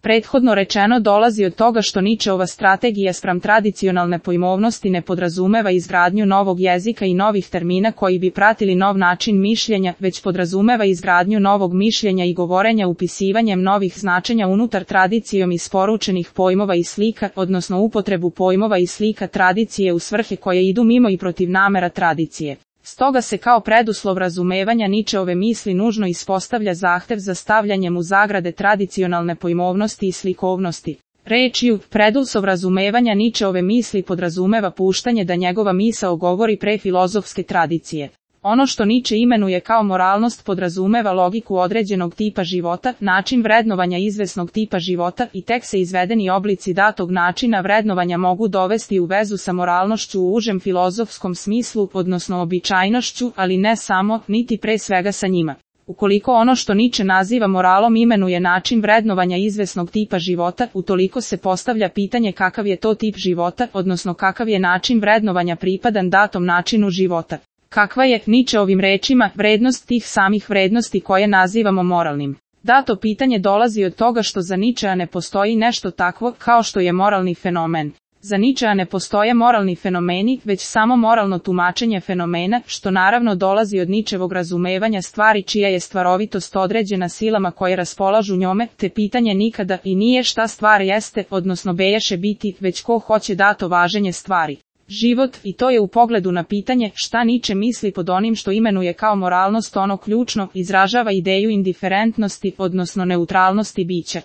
Prethodno rečeno dolazi od toga što Nietzscheova strategija spram tradicionalne pojmovnosti ne podrazumeva izgradnju novog jezika i novih termina koji bi pratili nov način mišljenja, već podrazumeva izgradnju novog mišljenja i govorenja upisivanjem novih značenja unutar tradicijom isporučenih pojmova i slika, odnosno upotrebu pojmova i slika tradicije u svrhe koje idu mimo i protiv namera tradicije. Stoga se kao preduslov razumevanja Nietzscheove misli nužno ispostavlja zahtev za stavljanjem u zagrade tradicionalne pojmovnosti i slikovnosti. Rečju, preduslov razumevanja Nietzscheove misli podrazumeva puštanje da njegova misao govori pre filozofske tradicije. Ono što Nietzsche imenuje kao moralnost podrazumeva logiku određenog tipa života, način vrednovanja izvesnog tipa života i tek se izvedeni oblici datog načina vrednovanja mogu dovesti u vezu sa moralnošću u užem filozofskom smislu, odnosno običajnošću, ali ne samo, niti pre svega sa njima. Ukoliko ono što Nietzsche naziva moralom imenuje način vrednovanja izvesnog tipa života, utoliko se postavlja pitanje kakav je to tip života, odnosno kakav je način vrednovanja pripadan datom načinu života. Kakva je, Nietzscheovim rečima, vrednost tih samih vrednosti koje nazivamo moralnim? Dato pitanje dolazi od toga što za Nietzschea ne postoji nešto takvo kao što je moralni fenomen. Za Nietzschea ne postoje moralni fenomeni, već samo moralno tumačenje fenomena, što naravno dolazi od Nietzscheovog razumevanja stvari čija je stvarovitost određena silama koje raspolažu njome, te pitanje nikada i nije šta stvar jeste, odnosno beješe biti, već ko hoće dato važenje stvari. Život, i to je u pogledu na pitanje šta Nietzsche misli pod onim što imenuje kao moralnost ono ključno, izražava ideju indiferentnosti, odnosno neutralnosti bića.